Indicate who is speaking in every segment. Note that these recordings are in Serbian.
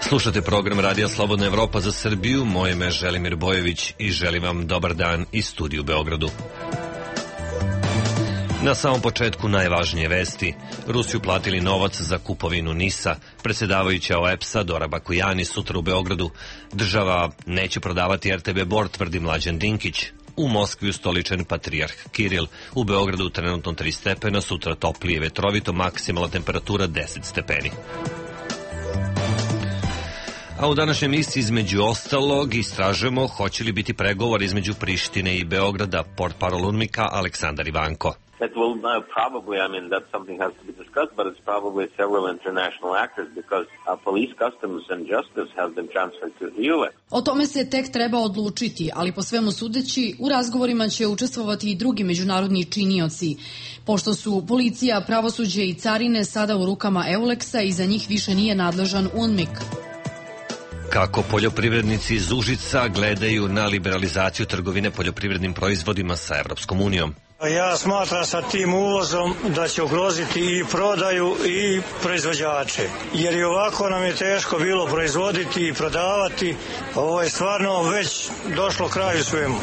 Speaker 1: Slušate program Radija Slobodna Evropa za Srbiju, moje ime je Želimir Bojević i želim vam dobar dan iz studiju u Beogradu. Na samom početku najvažnije vesti. Rusi uplatili novac za kupovinu NIS-a. Predsjedavajuća OEPS-a Dora Bakujani sutra u Beogradu. Država neće prodavati RTB Bor, tvrdi Mlađan Dinkić. U Moskvi ustoličen patrijarh Kiril. U Beogradu trenutno 3 stepena, sutra toplije vetrovito, maksimalna temperatura 10 stepeni. A u današnjem emisiji između ostalog istražujemo hoće li biti pregovor između Prištine i Beograda, portparol UNMIK-a Aleksandar Ivanko.
Speaker 2: It will probably, that something has to be discussed, but it's probably several international actors because police, customs and justice have been transferred to the US.
Speaker 3: O tome se tek treba odlučiti, ali po svemu sudeći u razgovorima će učestvovati i drugi međunarodni činioci. Pošto su policija, pravosuđe i carine sada u rukama EULEX-a i za njih više nije nadležan UNMIK.
Speaker 1: Kako poljoprivrednici iz Užica gledaju na liberalizaciju trgovine poljoprivrednim proizvodima sa Evropskom unijom?
Speaker 4: Ja smatram sa tim uvozom da će ugroziti i prodaju i proizvođače, jer i ovako nam je teško bilo proizvoditi i prodavati. Ovo je stvarno već došlo kraju svemu.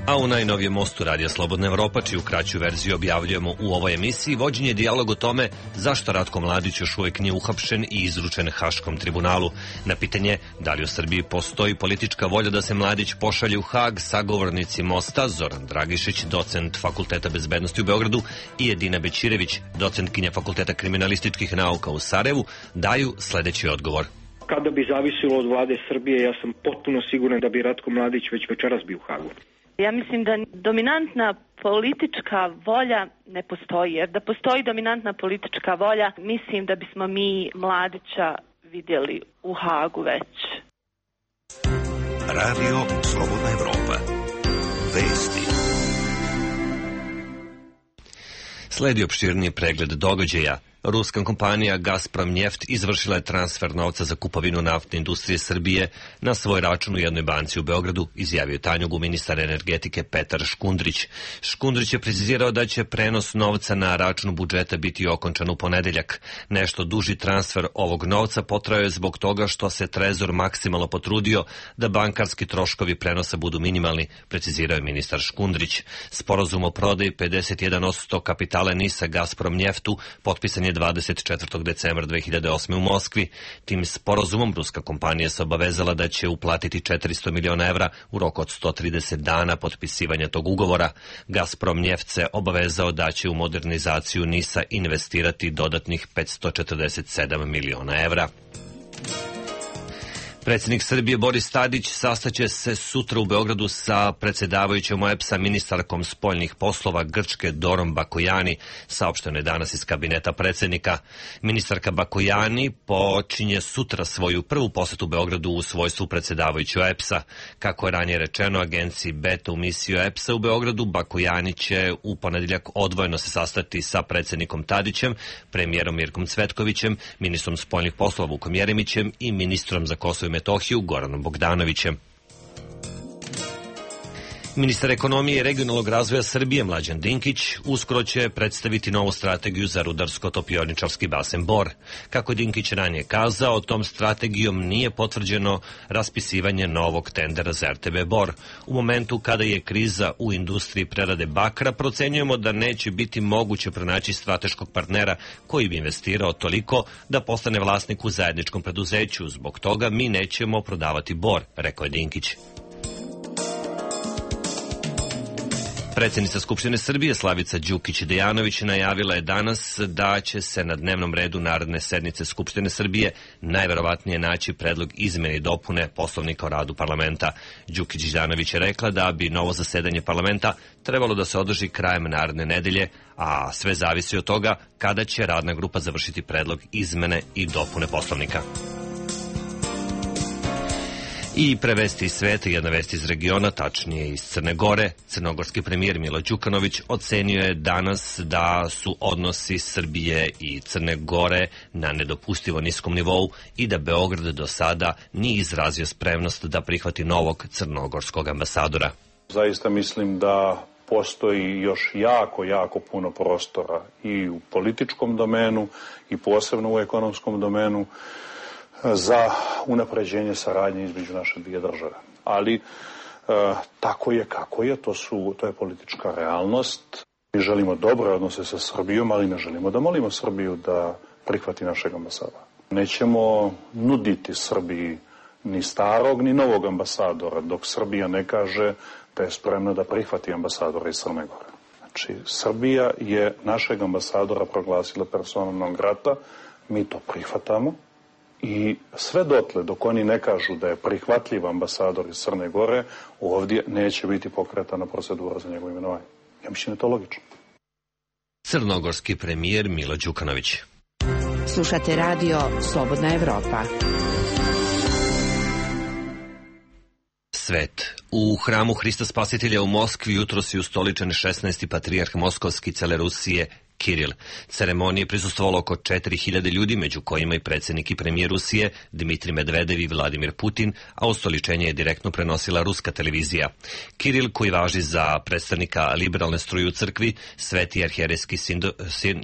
Speaker 1: A u najnovijem mostu Radija Slobodna Evropa, čiju kraću verziju objavljujemo u ovoj emisiji, vođen je dijalog o tome zašto Ratko Mladić još uvijek nije uhapšen i izručen Haškom tribunalu. Na pitanje da li u Srbiji postoji politička volja da se Mladić pošalje u Hag, sagovornici mosta Zoran Dragišić, docent Fakulteta bezbednosti u Beogradu, i Edina Bećirević, docentkinja Fakulteta kriminalističkih nauka u Sarajevu, daju sledeći odgovor.
Speaker 5: Kada bi zavisilo od vlade Srbije, ja sam potpuno siguran da bi Ratko Mladić već večeras bio u Hagu.
Speaker 6: Ja mislim da dominantna politička volja ne postoji, jer da postoji dominantna politička volja, mislim da bismo mi Mladića vidjeli u Hagu već.
Speaker 7: Radio Slobodna Evropa. Vesti.
Speaker 1: Sledi opširniji pregled događaja. Ruska kompanija Gazprom-Njeft izvršila je transfer novca za kupovinu naftne industrije Srbije na svoj račun u jednoj banci u Beogradu, izjavio Tanjugu ministar energetike Petar Škundrić. Škundrić je precizirao da će prenos novca na račun budžeta biti okončan u ponedeljak. Nešto duži transfer ovog novca potrajao je zbog toga što se Trezor maksimalno potrudio da bankarski troškovi prenosa budu minimalni, precizirao je ministar Škundrić. Sporazum o prodaji 51% kapitala NIS-a Gazprom-Njeftu potpisan je 24. decembra 2008. u Moskvi. Tim sporazumom ruska kompanija se obavezala da će uplatiti 400 miliona evra u roku od 130 dana potpisivanja tog ugovora. Gazprom-Njeft se obavezao da će u modernizaciju NIS-a investirati dodatnih 547 miliona evra. Predsjednik Srbije Boris Tadić sastaće se sutra u Beogradu sa predsjedavajućom OEPS-a ministarkom spoljnih poslova Grčke Dorom Bakujani, saopšteno je danas iz kabineta predsjednika. Ministarka Bakujani počinje sutra svoju prvu posetu Beogradu u svojstvu predsjedavajuće OEPS-a. Kako je ranije rečeno agenciji Beta u misiji OEPS-a u Beogradu, Bakujani će u ponedeljak odvojeno se sastati sa predsjednikom Tadićem, premijerom Mirkom Cvetkovićem, ministrom spoljnih poslova Vukom Jeremićem i ministrom za Kosovo i Metohiju Goranom Bogdanovićem. Ministar ekonomije i regionalnog razvoja Srbije Mlađan Dinkić uskoro će predstaviti novu strategiju za rudarsko-topioničarski basen Bor. Kako je Dinkić ranije kazao, tom strategijom nije potvrđeno raspisivanje novog tendera za RTB Bor. U momentu kada je kriza u industriji prerade bakra, procenjujemo da neće biti moguće pronaći strateškog partnera koji bi investirao toliko da postane vlasnik u zajedničkom preduzeću. Zbog toga mi nećemo prodavati Bor, rekao je Dinkić. Predsjednica Skupštine Srbije Slavica Đukić-Dejanović najavila je danas da će se na dnevnom redu naredne sednice Skupštine Srbije najverovatnije naći predlog izmene i dopune Poslovnika o radu parlamenta. Đukić-Dejanović je rekla da bi novo zasedanje parlamenta trebalo da se održi krajem naredne nedelje, a sve zavisi od toga kada će radna grupa završiti predlog izmene i dopune Poslovnika. I prevesti iz sveta, jedna vest iz regiona, tačnije iz Crne Gore. Crnogorski premijer Milo Đukanović ocenio je danas da su odnosi Srbije i Crne Gore na nedopustivo niskom nivou i da Beograd do sada nije izrazio spremnost da prihvati novog crnogorskog ambasadora.
Speaker 8: Zaista mislim da postoji još jako puno prostora i u političkom domenu i posebno u ekonomskom domenu za unapređenje saradnje između naše dvije države. Ali tako je kako je, to je politička realnost. Mi želimo dobre odnose sa Srbijom, ali ne želimo da molimo Srbiju da prihvati našeg ambasadora. Nećemo nuditi Srbiji ni starog, ni novog ambasadora, dok Srbija ne kaže da je spremna da prihvati ambasadora iz Crne Gore. Znači, Srbija je našeg ambasadora proglasila personom non grata, mi to prihvatamo i sve dotle, dok oni ne kažu da je prihvatljiv ambasador iz Crne Gore, ovdje neće biti pokretana procedura za njegovo imenovanje. Ja mislim da je to logično.
Speaker 1: Crnogorski premijer Milo Đukanović.
Speaker 9: Slušate radio Slobodna Evropa.
Speaker 1: Svet. U hramu Hrista Spasitelja u Moskvi jutros je ustoličen 16. patrijarh Moskovski cele Rusije Kiril. Ceremonije prisustvovalo oko 4000 ljudi, među kojima i predsjednik i premijer Rusije Dmitrij Medvedev i Vladimir Putin, a ustoličenje je direktno prenosila ruska televizija. Kiril, koji važi za predstavnika liberalne struje u crkvi, Sveti arhijerejski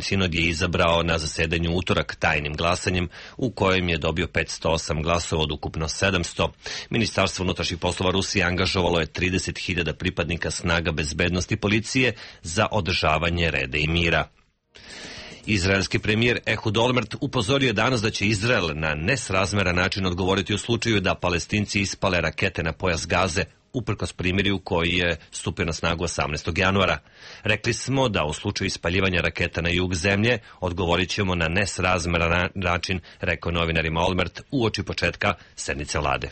Speaker 1: sinod je izabrao na zasedanju utorak tajnim glasanjem, u kojem je dobio 508 glasova od ukupno 700. Ministarstvo unutrašnjih poslova Rusije angažovalo je 30.000 pripadnika snaga bezbednosti policije za održavanje reda i mira. Izraelski premijer Ehud Olmert upozorio je danas da će Izrael na nesrazmeran način odgovoriti u slučaju da Palestinci ispale rakete na pojas Gaze, uprkos primirju koji je stupio na snagu 18. januara. Rekli smo da u slučaju ispaljivanja raketa na jug zemlje odgovorit ćemo na nesrazmeran način, rekao novinarima Olmert uoči početka sednice vlade.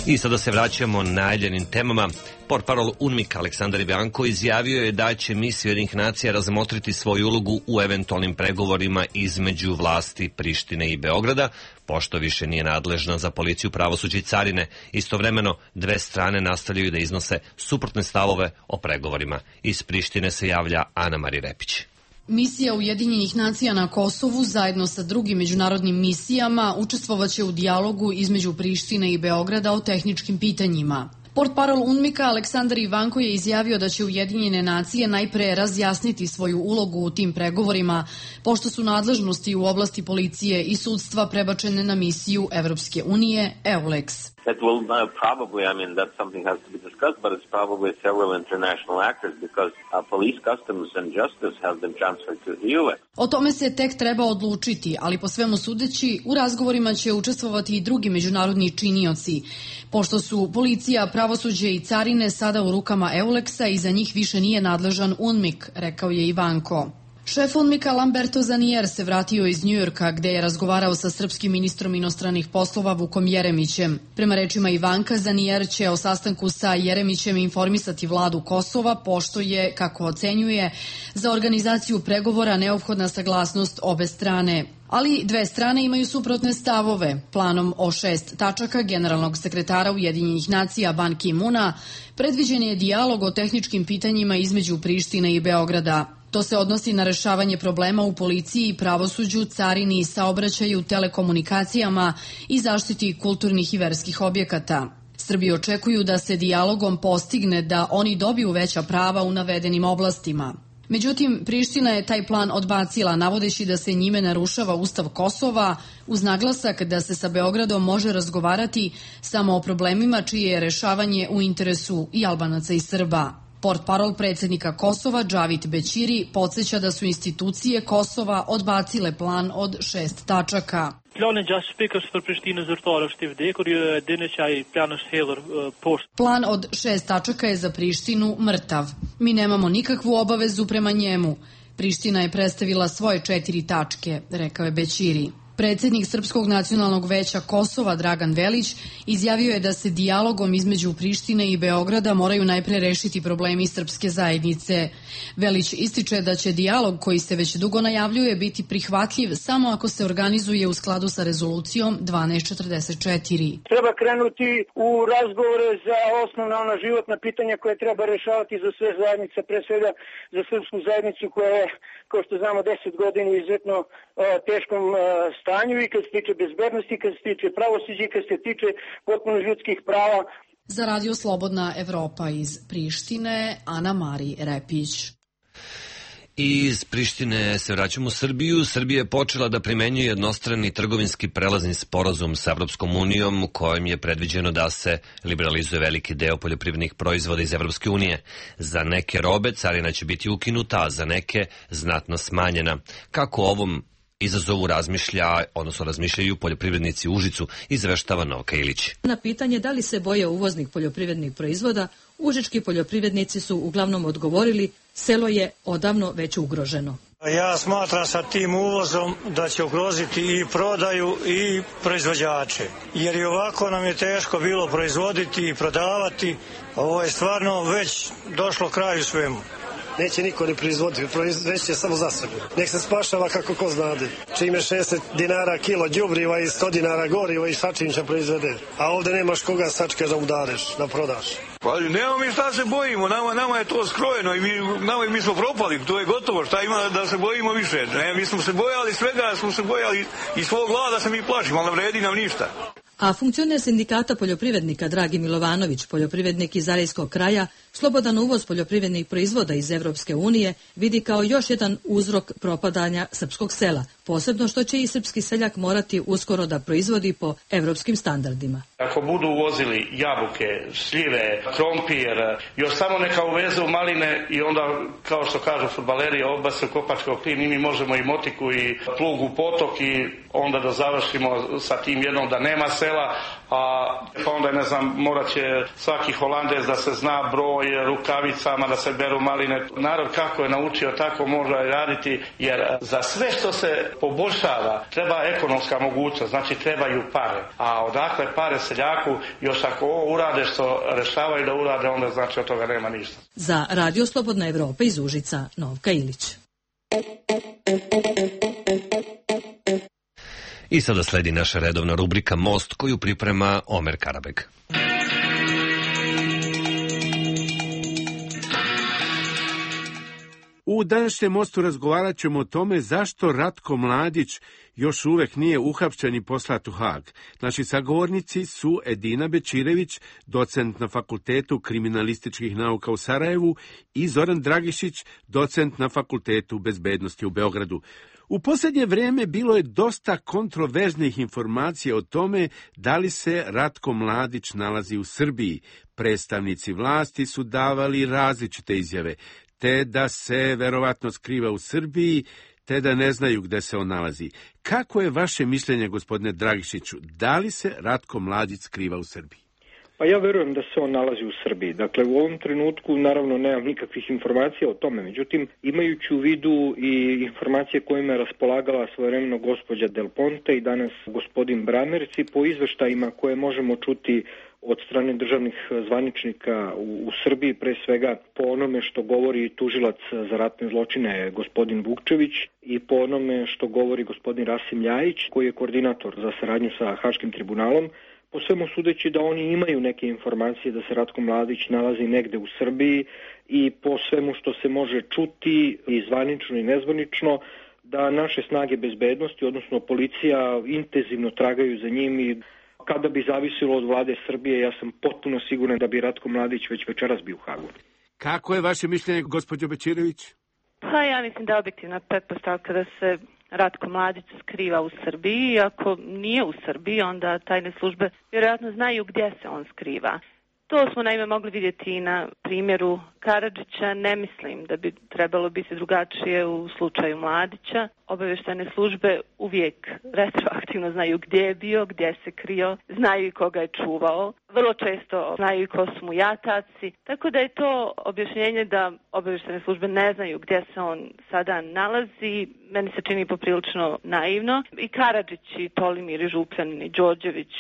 Speaker 1: I sada se vraćamo najavljenim temama. Portparol UNMIK Aleksandar Ivanko izjavio je da će misija Ujedinjenih nacija razmotriti svoju ulogu u eventualnim pregovorima između vlasti Prištine i Beograda, pošto više nije nadležna za policiju, pravosuđe i carine. Istovremeno, dve strane nastavljaju da iznose suprotne stavove o pregovorima. Iz Prištine se javlja Ana Mari Repić.
Speaker 3: Misija Ujedinjenih nacija na Kosovu zajedno sa drugim međunarodnim misijama učestvovaće u dijalogu između Prištine i Beograda o tehničkim pitanjima. Portparol UNMIK-a Aleksandar Ivanko je izjavio da će Ujedinjene nacije najpre razjasniti svoju ulogu u tim pregovorima, pošto su nadležnosti u oblasti policije i sudstva prebačene na misiju Evropske unije EULEX.
Speaker 2: That will probably, that something has to be discussed, but it's probably several international actors because police, customs and justice have been transferred to the EULEX.
Speaker 3: O tome se tek treba odlučiti, ali po svemu sudeći u razgovorima će učestvovati i drugi međunarodni činioci, pošto su policija, pravosuđe i carine sada u rukama EULEX-a i za njih više nije nadležan UNMIK, rekao je Ivanko. Šef UNMIK-a Lamberto Zanier se vratio iz Njujorka gde je razgovarao sa srpskim ministrom inostranih poslova Vukom Jeremićem. Prema rečima Ivanka, Zanier će o sastanku sa Jeremićem informisati vladu Kosova, pošto je, kako ocenjuje, za organizaciju pregovora neophodna saglasnost obe strane. Ali dve strane imaju suprotne stavove. Planom o 6 tačaka generalnog sekretara Ujedinjenih nacija Ban Ki-muna predviđen je dijalog o tehničkim pitanjima između Prištine i Beograda. To se odnosi na rešavanje problema u policiji, pravosuđu, carini, saobraćaju, telekomunikacijama i zaštiti kulturnih i verskih objekata. Srbi očekuju da se dijalogom postigne da oni dobiju veća prava u navedenim oblastima. Međutim, Priština je taj plan odbacila, navodeći da se njime narušava Ustav Kosova, uz naglasak da se sa Beogradom može razgovarati samo o problemima čije je rešavanje u interesu i Albanaca i Srba. Portparol predsjednika Kosova, Džavit Bećiri, podsjeća da su institucije Kosova odbacile plan od 6 tačaka. Plan od 6 tačaka je za Prištinu mrtav. Mi nemamo nikakvu obavezu prema njemu. Priština je predstavila svoje 4 tačke, rekao je Bećiri. Predsjednik Srpskog nacionalnog veća Kosova, Dragan Velić, izjavio je da se dijalogom između Prištine i Beograda moraju najpre rešiti problemi srpske zajednice. Velić ističe da će dijalog koji se već dugo najavljuje biti prihvatljiv samo ako se organizuje u skladu sa rezolucijom 1244.
Speaker 10: Treba krenuti u razgovore za osnovna životna pitanja koje treba rešavati za sve zajednice, pre svega za srpsku zajednicu koja je, kao što znamo, 10 godina u izuzetno teškom stanju i kad se tiče bezbednosti, kad se tiče pravosuđa i kad se tiče potpuno ljudskih prava.
Speaker 3: Za Radio Slobodna Evropa iz Prištine, Ana Mari Repić.
Speaker 1: I iz Prištine se vraćamo u Srbiju. Srbija je počela da primenjuje jednostrani trgovinski prelazni sporazum sa Evropskom unijom, kojim je predviđeno da se liberalizuje veliki deo poljoprivrednih proizvoda iz Evropske unije. Za neke robe carina će biti ukinuta, a za neke znatno smanjena. Kako ovom izazovu razmišljaju poljoprivrednici u Užicu, izveštava Novka Ilić.
Speaker 11: Na pitanje da li se boje uvoznih poljoprivrednih proizvoda, užički poljoprivrednici su uglavnom odgovorili: selo je odavno već ugroženo.
Speaker 4: Ja smatram sa tim uvozom da će ugroziti i prodaju i proizvođače, jer i ovako nam je teško bilo proizvoditi i prodavati. Ovo je stvarno već došlo kraju svemu.
Speaker 12: Neće niko ne proizvoditi, proizveće samo za sebe. Nek se spašava kako ko znade. Čime 60 dinara kilo đubriva i 100 dinara goriva i sačinča proizvede. A ovde nemaš koga sačke da udareš, da prodaš.
Speaker 13: Pa nemamo mi šta se bojimo, nama je to skrojeno i mi smo propali, to je gotovo, šta ima da se bojimo više. Ne, mi smo se bojali svega, smo se bojali i svog glada se mi plašimo, ali ne vredi nam ništa.
Speaker 11: A funkcioner sindikata poljoprivrednika Dragi Milovanović, poljoprivrednik iz Zarejskog kraja, slobodan uvoz poljoprivrednih proizvoda iz Evropske unije vidi kao još jedan uzrok propadanja srpskog sela, posebno što će i srpski seljak morati uskoro da proizvodi po evropskim standardima.
Speaker 14: Ako budu uvozili jabuke, šljive, krompir, još samo neka uvezu maline i onda, kao što kažu fudbaleri, obase u kopački klin, i mi možemo i motiku i plug u potok i onda da završimo sa tim jednom da nema sela, pa onda, ne znam, morat će svaki Holandez da se zna broj rukavicama, da se beru maline. Narod kako je naučio, tako može raditi, jer za sve što se poboljšava treba ekonomska mogućnost, znači trebaju pare. A odakle pare seljaku, još ako ovo urade što rešavaju da urade, onda znači od toga nema ništa.
Speaker 11: Za Radio Slobodna Evropa iz Užica, Novka Ilić.
Speaker 1: I sada sledi naša redovna rubrika Most, koju priprema Omer Karabeg.
Speaker 15: U današnjem Mostu razgovarat ćemo o tome zašto Ratko Mladić još uvek nije uhapšen i poslat u Hag. Naši sagovornici su Edina Bečirević, docent na Fakultetu kriminalističkih nauka u Sarajevu, i Zoran Dragišić, docent na Fakultetu bezbednosti u Beogradu. U posljednje vrijeme bilo je dosta kontroverznih informacija o tome da li se Ratko Mladić nalazi u Srbiji. Predstavnici vlasti su davali različite izjave, te da se verovatno skriva u Srbiji, te da ne znaju gde se on nalazi. Kako je vaše mišljenje, gospodine Dragišiću, da li se Ratko Mladić skriva u Srbiji?
Speaker 5: Pa ja verujem da se on nalazi u Srbiji. Dakle, u ovom trenutku naravno nemam nikakvih informacija o tome. Međutim, imajući u vidu i informacije kojima je raspolagala svojevremeno gospođa Del Ponte i danas gospodin Bramerc, i po izveštajima koje možemo čuti od strane državnih zvaničnika u Srbiji, pre svega po onome što govori tužilac za ratne zločine gospodin Vukčević i po onome što govori gospodin Rasim Ljajić, koji je koordinator za saradnju sa Haškim tribunalom, po svemu sudeći da oni imaju neke informacije da se Ratko Mladić nalazi negde u Srbiji, i po svemu što se može čuti i zvanično i nezvanično, da naše snage bezbednosti, odnosno policija, intenzivno tragaju za njim, i kada bi zavisilo od vlade Srbije, ja sam potpuno siguran da bi Ratko Mladić već večeras bio u Hagu.
Speaker 15: Kako je vaše mišljenje, gospođo Bečirević?
Speaker 6: Pa ja mislim da je objektivna pretpostavka da se Ratko Mladić skriva u Srbiji. Ako nije u Srbiji, onda tajne službe vjerojatno znaju gdje se on skriva. To smo naime mogli vidjeti i na primjeru Karadžića. Ne mislim da bi trebalo biti drugačije u slučaju Mladića. Obavještajne službe uvijek retroaktivno znaju gdje je bio, gdje se krio, znaju i koga je čuvao. Vrlo često znaju i ko su mu jataci. Tako da je to objašnjenje da obavještajne službe ne znaju gdje se on sada nalazi, meni se čini poprilično naivno. I Karadžić, i Tolimir, i Župljanin, i Đorđević,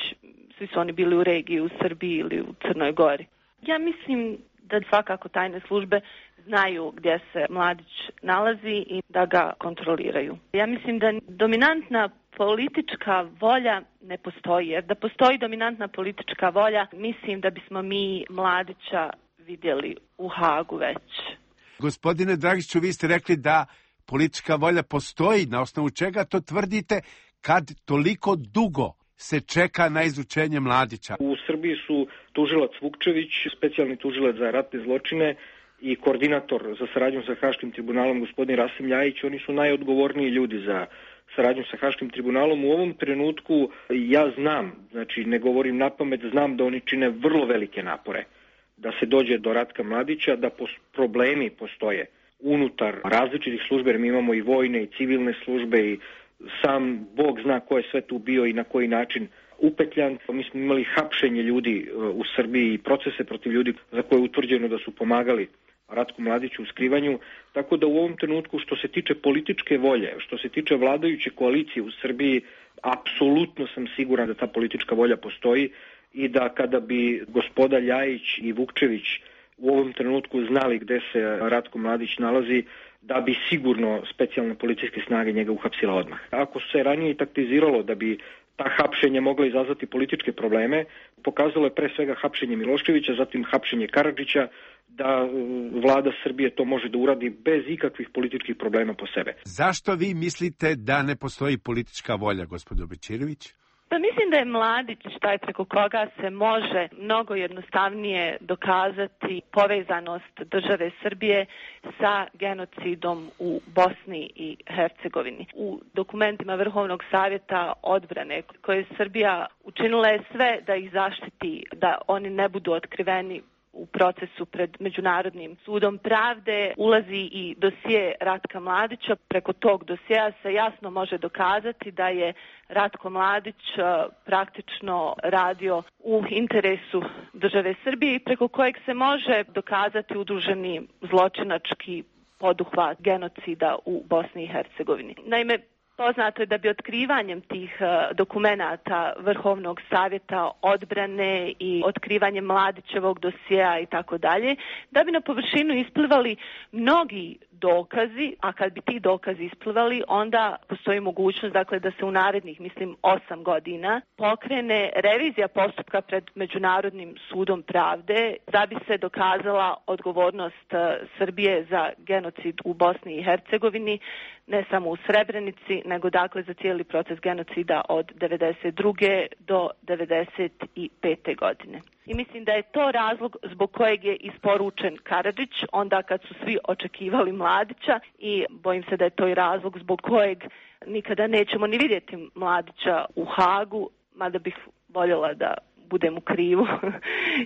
Speaker 6: svi su oni bili u regiji, u Srbiji ili u Crnoj Gori. Ja mislim da svakako tajne službe znaju gdje se Mladić nalazi i da ga kontroliraju. Ja mislim da dominantna politička volja ne postoji, jer da postoji dominantna politička volja, mislim da bismo mi Mladića vidjeli u Hagu već.
Speaker 15: Gospodine Dragišiću, vi ste rekli da politička volja postoji. Na osnovu čega to tvrdite kad toliko dugo se čeka na izučenje Mladića?
Speaker 5: U Srbiji su tužilac Vukčević, specijalni tužilac za ratne zločine, i koordinator za saradnju sa Haškim tribunalom gospodin Rasim Ljajić, oni su najodgovorniji ljudi za saradnju sa Haškim tribunalom. U ovom trenutku ja znam, znači ne govorim napamet, znam da oni čine vrlo velike napore da se dođe do Ratka Mladića, da problemi postoje unutar različitih službe, jer mi imamo i vojne i civilne službe i sam Bog zna ko je sve tu bio i na koji način upetljan. Mi smo imali hapšenje ljudi u Srbiji i procese protiv ljudi za koje je utvrđeno da su pomagali Ratku Mladiću u skrivanju, tako da u ovom trenutku što se tiče političke volje, što se tiče vladajuće koalicije u Srbiji, apsolutno sam siguran da ta politička volja postoji i da kada bi gospoda Ljajić i Vukčević u ovom trenutku znali gde se Ratko Mladić nalazi, da bi sigurno specijalne policijske snage njega uhapsila odmah. Ako se ranije taktiziralo da bi ta hapšenja mogla izazvati političke probleme, pokazalo je pre svega hapšenje Miloševića, zatim hapšenje Karadžića, da vlada Srbije to može da uradi bez ikakvih političkih problema po sebe.
Speaker 15: Zašto vi mislite da ne postoji politička volja, gospođo Bećirović?
Speaker 6: Pa mislim da je Mladić taj preko koga se može mnogo jednostavnije dokazati povezanost države Srbije sa genocidom u Bosni i Hercegovini. U dokumentima Vrhovnog savjeta odbrane koje je Srbija učinila je sve da ih zaštiti, da oni ne budu otkriveni u procesu pred Međunarodnim sudom pravde, ulazi i dosije Ratka Mladića. Preko tog dosjea se jasno može dokazati da je Ratko Mladić praktično radio u interesu države Srbije i preko kojeg se može dokazati udruženi zločinački poduhvat genocida u Bosni i Hercegovini. Naime, poznato je da bi otkrivanjem tih dokumenata Vrhovnog savjeta odbrane i otkrivanjem Mladićevog dosjea i tako dalje, da bi na površinu isplivali mnogi dokazi, a kad bi ti dokazi isplivali, onda postoji mogućnost da se u narednih, 8 godina pokrene revizija postupka pred Međunarodnim sudom pravde da bi se dokazala odgovornost Srbije za genocid u Bosni i Hercegovini, ne samo u Srebrenici, nego za cijeli proces genocida od 1992. do 1995. godine. I mislim da je to razlog zbog kojeg je isporučen Karadžić, onda kad su svi očekivali Mladića, i bojim se da je to i razlog zbog kojeg nikada nećemo ni vidjeti Mladića u Hagu, mada bih voljela da budem u krivu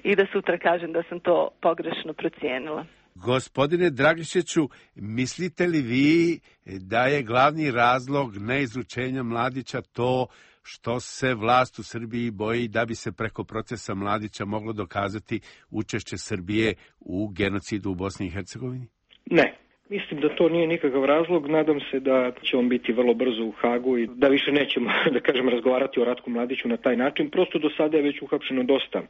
Speaker 6: i da sutra kažem da sam to pogrešno procijenila.
Speaker 15: Gospodine Dragišiću, mislite li vi da je glavni razlog neizručenja Mladića to što se vlast u Srbiji boji da bi se preko procesa Mladića moglo dokazati učešće Srbije u genocidu u Bosni i Hercegovini?
Speaker 5: Ne. Mislim da to nije nikakav razlog. Nadam se da će on biti vrlo brzo u Hagu i da više nećemo, razgovarati o Ratku Mladiću na taj način. Prosto do sada je već uhapšeno dosta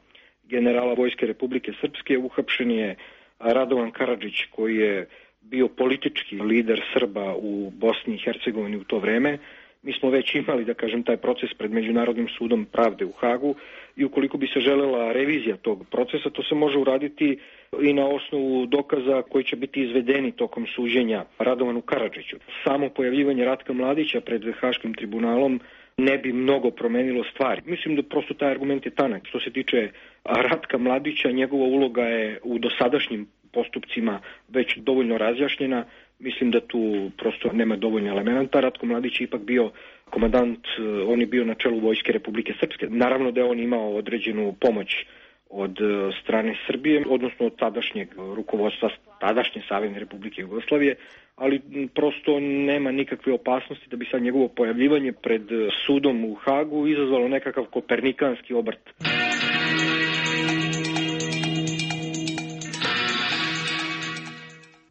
Speaker 5: generala Vojske Republike Srpske. Uhapšen je Radovan Karadžić, koji je bio politički lider Srba u Bosni i Hercegovini u to vreme. Mi smo već imali, taj proces pred Međunarodnim sudom pravde u Hagu i ukoliko bi se želela revizija tog procesa, to se može uraditi i na osnovu dokaza koji će biti izvedeni tokom suđenja Radovanu Karadžiću. Samo pojavljivanje Ratka Mladića pred Haškim tribunalom ne bi mnogo promenilo stvari. Mislim da prosto taj argument je tanak. Što se tiče Ratka Mladića, njegova uloga je u dosadašnjim postupcima već dovoljno razjašnjena. Mislim da tu prosto nema dovoljno elementa. Ratko Mladić je ipak bio komandant, on je bio na čelu Vojske Republike Srpske. Naravno da je on imao određenu pomoć od strane Srbije, odnosno od tadašnjeg rukovodstva tadašnje Savezne Republike Jugoslavije, ali prosto nema nikakve opasnosti da bi sad njegovo pojavljivanje pred sudom u Hagu izazvalo nekakav kopernikanski obrt.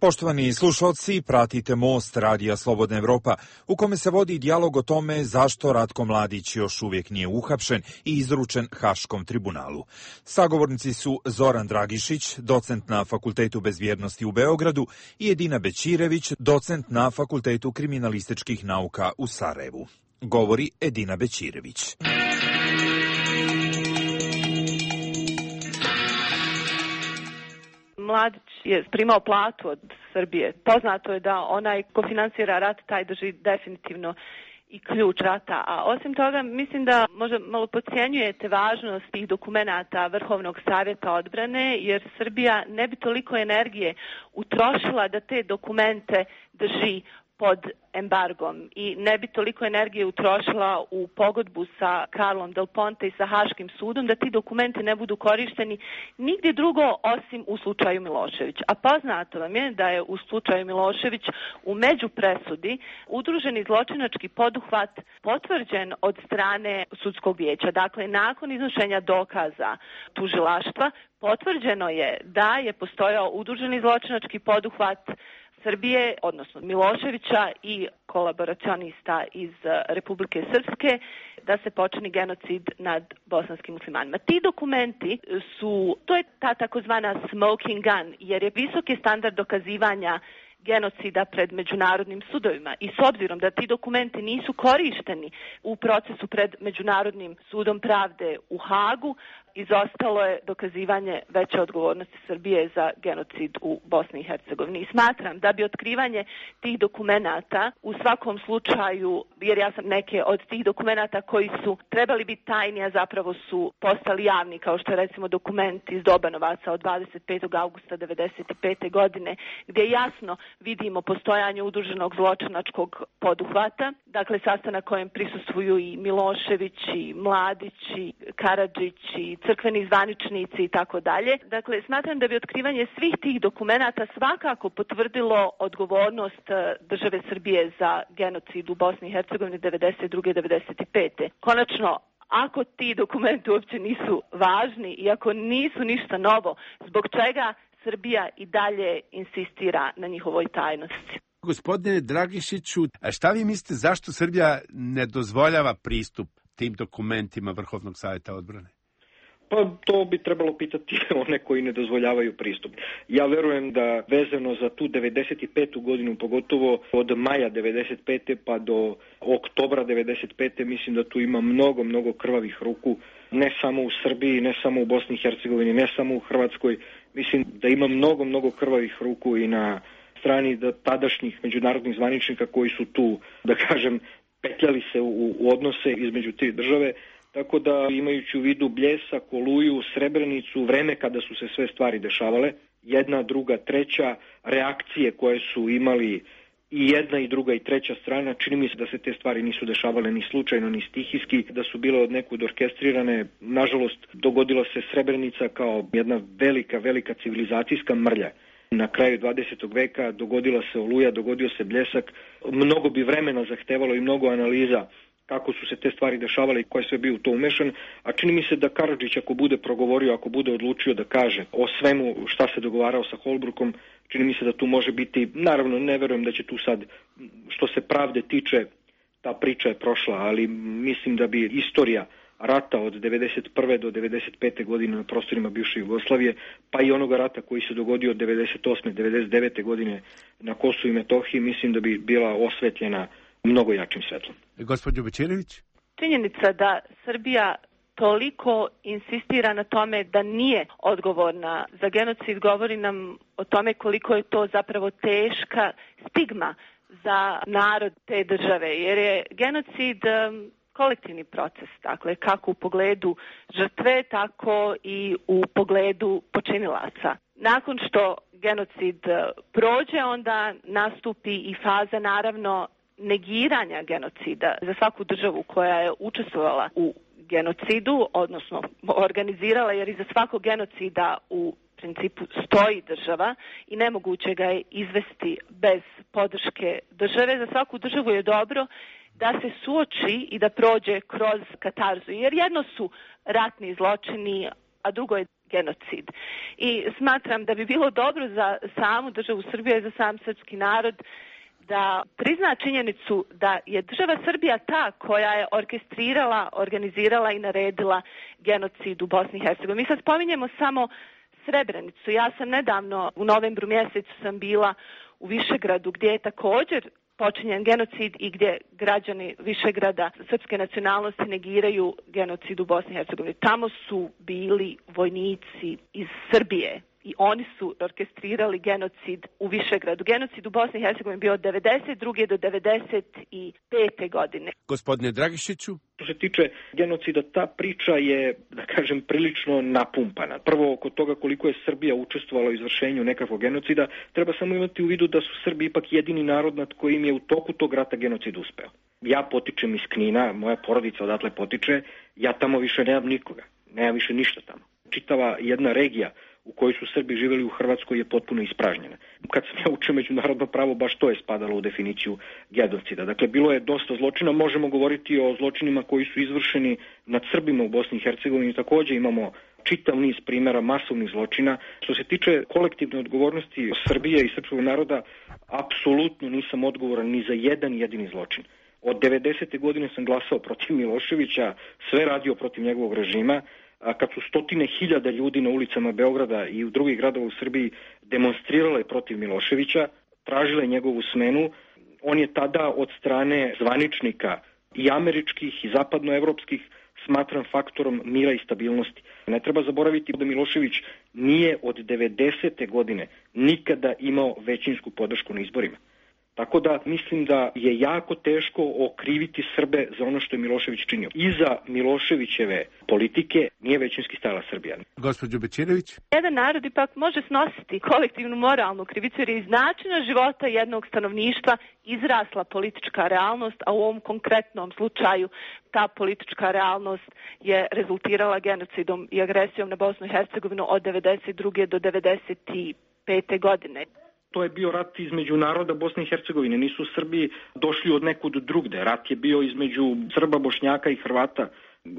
Speaker 16: Poštovani slušalci, pratite Most Radija Slobodna Evropa, u kome se vodi dijalog o tome zašto Ratko Mladić još uvijek nije uhapšen i izručen Haškom tribunalu. Sagovornici su Zoran Dragišić, docent na Fakultetu bezbjednosti u Beogradu, i Edina Bećirević, docent na Fakultetu kriminalističkih nauka u Sarajevu. Govori Edina Bećirević.
Speaker 6: Mladić je primao platu od Srbije. Poznato je da onaj ko finansira rat, taj drži definitivno i ključ rata. A osim toga, mislim da možda malo podcjenjujete važnost tih dokumenata Vrhovnog savjeta odbrane, jer Srbija ne bi toliko energije utrošila da te dokumente drži pod embargom i ne bi toliko energije utrošila u pogodbu sa Karlom Del Ponte i sa Haškim sudom da ti dokumenti ne budu korišteni nigdje drugo osim u slučaju Milošević. A poznato vam je da je u slučaju Milošević u međupresudi udruženi zločinački poduhvat potvrđen od strane sudskog vijeća. Dakle, nakon iznošenja dokaza tužilaštva potvrđeno je da je postojao udruženi zločinački poduhvat Srbije, odnosno Miloševića i kolaboracionista iz Republike Srpske, da se počini genocid nad bosanskim muslimanima. Ti dokumenti to je ta takozvana smoking gun, jer je visoki standard dokazivanja genocida pred međunarodnim sudovima i s obzirom da ti dokumenti nisu korišteni u procesu pred Međunarodnim sudom pravde u Hagu, izostalo je dokazivanje veće odgovornosti Srbije za genocid u Bosni i Hercegovini. I smatram da bi otkrivanje tih dokumenata u svakom slučaju, jer ja sam neke od tih dokumenata koji su trebali biti tajni, a zapravo su postali javni, kao što je recimo dokument iz Dobanovaca od 25. augusta 1995. godine, gdje jasno vidimo postojanje udruženog zločinačkog poduhvata, dakle sastanak kojem prisustvuju i Milošević, i Mladić, i Karadžić, i crkveni zvaničnici i tako dalje. Dakle, smatram da bi otkrivanje svih tih dokumenata svakako potvrdilo odgovornost države Srbije za genocid u Bosni i Hercegovini 92. 95. Konačno, ako ti dokumenti uopće nisu važni i ako nisu ništa novo, zbog čega Srbija i dalje insistira na njihovoj tajnosti?
Speaker 15: Gospodine Dragišiću, a šta vi mislite zašto Srbija ne dozvoljava pristup tim dokumentima Vrhovnog savjeta odbrane?
Speaker 5: Pa to bi trebalo pitati one koji ne dozvoljavaju pristup. Ja verujem da vezano za tu 95. godinu, pogotovo od maja 95. pa do oktobra 95. mislim da tu ima mnogo krvavih ruku, ne samo u Srbiji, ne samo u Bosni i Hercegovini, ne samo u Hrvatskoj. Mislim da ima mnogo krvavih ruku i na strani tadašnjih međunarodnih zvaničnika koji su tu, da kažem, petljali se u odnose između te države. Tako da, imajući u vidu Bljesak, Oluju, Srebrenicu, vreme kada su se sve stvari dešavale, jedna, druga, treća, reakcije koje su imali i jedna i druga i treća strana, čini mi se da se te stvari nisu dešavale ni slučajno, ni stihijski, da su bile od nekud orkestrirane. Nažalost, dogodila se Srebrenica kao jedna velika civilizacijska mrlja. Na kraju 20. veka dogodila se Oluja, dogodio se Bljesak. Mnogo bi vremena zahtevalo i mnogo analiza kako su se te stvari dešavale i ko je sve bio u to umešan, a čini mi se da Karadžić ako bude progovorio, ako bude odlučio da kaže o svemu šta se dogovarao sa Holbrookom, čini mi se da tu može biti, naravno ne verujem da će tu sad, što se pravde tiče, ta priča je prošla, ali mislim da bi istorija rata od 91. do 95. godine na prostorima bivše Jugoslavije, pa i onoga rata koji se dogodio od 98. 99. godine na Kosovu i Metohiji, mislim da bi bila osvetljena mnogo jačim svetlom.
Speaker 15: Gospođo Bećirević?
Speaker 6: Činjenica da Srbija toliko insistira na tome da nije odgovorna za genocid govori nam o tome koliko je to zapravo teška stigma za narod te države, jer je genocid kolektivni proces, dakle kako u pogledu žrtve, tako i u pogledu počinilaca. Nakon što genocid prođe, onda nastupi i faza naravno negiranja genocida za svaku državu koja je učestvovala u genocidu, odnosno organizirala, jer iza svakog genocida u principu stoji država i nemoguće ga je izvesti bez podrške države. Za svaku državu je dobro da se suoči i da prođe kroz katarzu, jer jedno su ratni zločini, a drugo je genocid. I smatram da bi bilo dobro za samu državu Srbije i za sam srpski narod da prizna činjenicu da je država Srbija ta koja je orkestrirala, organizirala i naredila genocid u Bosni i Hercegovini. Mi sad spominjemo samo Srebrenicu. Ja sam nedavno, u novembru mjesecu sam bila u Višegradu gdje je također počinjen genocid i gdje građani Višegrada srpske nacionalnosti negiraju genocid u Bosni i Hercegovini. Tamo su bili vojnici iz Srbije i oni su orkestrirali genocid u Višegradu. Genocid u Bosni i Hercegovini bio od 92. do 95. godine.
Speaker 15: Gospodine Dragišiću?
Speaker 5: Što se tiče genocida, ta priča je, da kažem, prilično napumpana. Prvo, oko toga koliko je Srbija učestvovala u izvršenju nekakvog genocida, treba samo imati u vidu da su Srbi ipak jedini narod nad kojim je u toku tog rata genocid uspeo. Ja potičem iz Knina, moja porodica odatle potiče, ja tamo više nemam nikoga, nemam više ništa tamo. Čitava jedna regija u kojoj su Srbi živjeli u Hrvatskoj je potpuno ispražnjena. Kad sam ja učio međunarodno pravo, baš to je spadalo u definiciju genocida. Dakle, bilo je dosta zločina, možemo govoriti o zločinima koji su izvršeni nad Srbima u Bosni i Hercegovini, također imamo čitav niz primjera masovnih zločina. Što se tiče kolektivne odgovornosti Srbije i srpskog naroda, apsolutno nisam odgovoran ni za jedan jedini zločin. Od 90. godine sam glasao protiv Miloševića, sve radio protiv njegovog režima, kad su stotine hiljada ljudi na ulicama Beograda i u drugih gradova u Srbiji demonstrirale protiv Miloševića, tražile njegovu smenu, on je tada od strane zvaničnika i američkih i zapadnoevropskih smatran faktorom mira i stabilnosti. Ne treba zaboraviti da Milošević nije od 90. godine nikada imao većinsku podršku na izborima. Tako da mislim da je jako teško okriviti Srbe za ono što je Milošević činio. Iza Miloševićeve politike nije većinski stajala Srbija.
Speaker 15: Gospođo Bećirević?
Speaker 6: Jedan narod ipak može snositi kolektivnu moralnu krivicu jer je iz načina života jednog stanovništva izrasla politička realnost, a u ovom konkretnom slučaju ta politička realnost je rezultirala genocidom i agresijom na Bosnu i Hercegovinu od 92. do 95. godine.
Speaker 5: To je bio rat između naroda Bosne i Hercegovine. Nisu Srbi došli od nekud drugde. Rat je bio između Srba, Bošnjaka i Hrvata.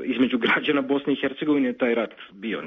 Speaker 5: Između građana Bosne i Hercegovine je taj rat bio.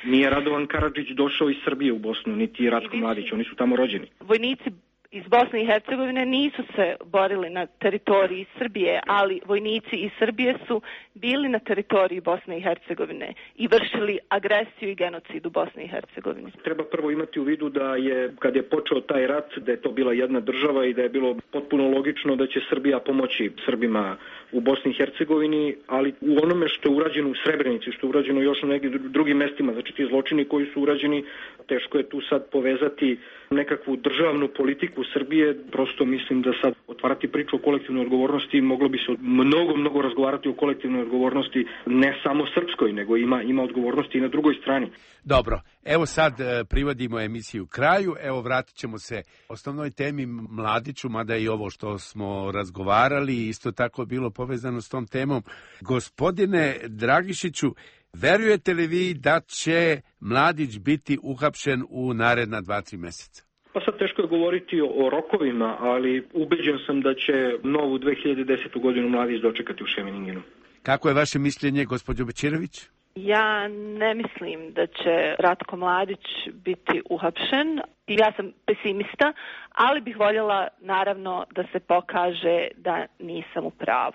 Speaker 5: Nije Radovan Karadžić došao iz Srbije u Bosnu, niti Ratko Mladić. Oni su tamo rođeni.
Speaker 6: Vojnici iz Bosne i Hercegovine nisu se borili na teritoriji Srbije, ali vojnici iz Srbije su bili na teritoriji Bosne i Hercegovine i vršili agresiju i genocid u Bosni i Hercegovini.
Speaker 5: Treba prvo imati u vidu da je, kad je počeo taj rat, da je to bila jedna država i da je bilo potpuno logično da će Srbija pomoći Srbima u Bosni i Hercegovini, ali u onome što je urađeno u Srebrenici, što je urađeno još na nekim drugim mestima, znači ti zločini koji su urađeni, teško je tu sad povezati nekakvu državnu politiku Srbije. Prosto mislim da sad otvarati priču o kolektivnoj odgovornosti, moglo bi se mnogo razgovarati o kolektivnoj odgovornosti, ne samo srpskoj, nego ima odgovornosti i na drugoj strani.
Speaker 15: Dobro, evo sad privodimo emisiju kraju, evo vratit ćemo se osnovnoj temi Mladiću, mada i ovo što smo razgovarali isto tako bilo povezano s tom temom. Gospodine Dragišiću, verujete li vi da će Mladić biti uhapšen u naredna 2-3 mjeseca?
Speaker 5: Pa sad teško je govoriti o rokovima, ali ubeđen sam da će novu 2010. godinu Mladić dočekati u Šemeningenu.
Speaker 15: Kako je vaše mišljenje, gospođo Bećirević?
Speaker 6: Ja ne mislim da će Ratko Mladić biti uhapšen. Ja sam pesimista, ali bih voljela naravno da se pokaže da nisam u pravu.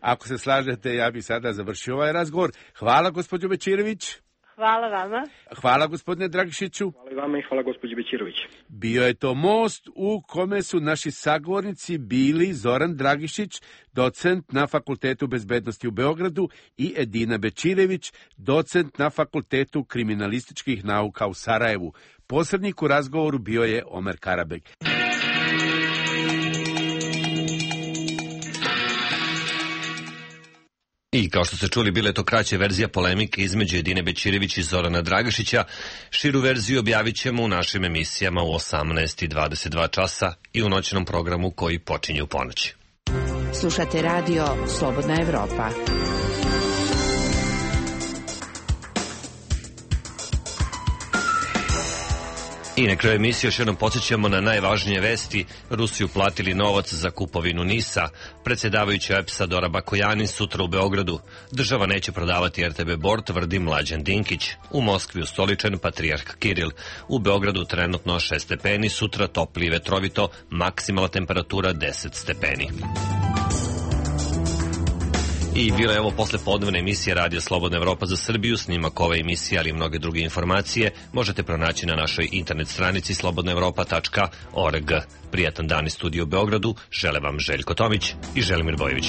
Speaker 15: Ako se slažete, ja bih sada završio ovaj razgovor. Hvala, gospođo Bećirević.
Speaker 6: Hvala vama.
Speaker 15: Hvala, gospodine Dragišiću.
Speaker 5: Hvala i vama i hvala, gospođo Bećirović.
Speaker 15: Bio je to most u kome su naši sagovornici bili Zoran Dragišić, docent na Fakultetu bezbednosti u Beogradu, i Edina Bećirević, docent na Fakultetu kriminalističkih nauka u Sarajevu. Posrednik u razgovoru bio je Omer Karabeg.
Speaker 1: I kao što ste čuli, bila je to kraća verzija polemike između Edine Bećirević i Zorana Dragišića. Širu verziju objavit ćemo u našim emisijama u 18:22 časa i u noćnom programu koji počinje u ponoći.
Speaker 9: Slušate radio Slobodna Evropa.
Speaker 1: I na kraju emisije još jednom podsjećamo na najvažnije vesti. Rusi uplatili novac za kupovinu NIS-a. Predsjedavajući EPS-a Dora Bakojanin sutra u Beogradu. Država neće prodavati RTB Bor, tvrdi Mlađan Dinkić. U Moskvi ustoličen patrijarh Kiril. U Beogradu trenutno 6 stepeni, sutra topli i vetrovito, maksimalna temperatura 10 stepeni. I bila je ovo poslepodnevna emisija Radio Slobodna Evropa za Srbiju. Snimak ove emisije, ali i mnoge druge informacije možete pronaći na našoj internet stranici slobodnaevropa.org. Prijatan dan iz studija u Beogradu. Žele vam Željko Tomić i Želimir Bojević.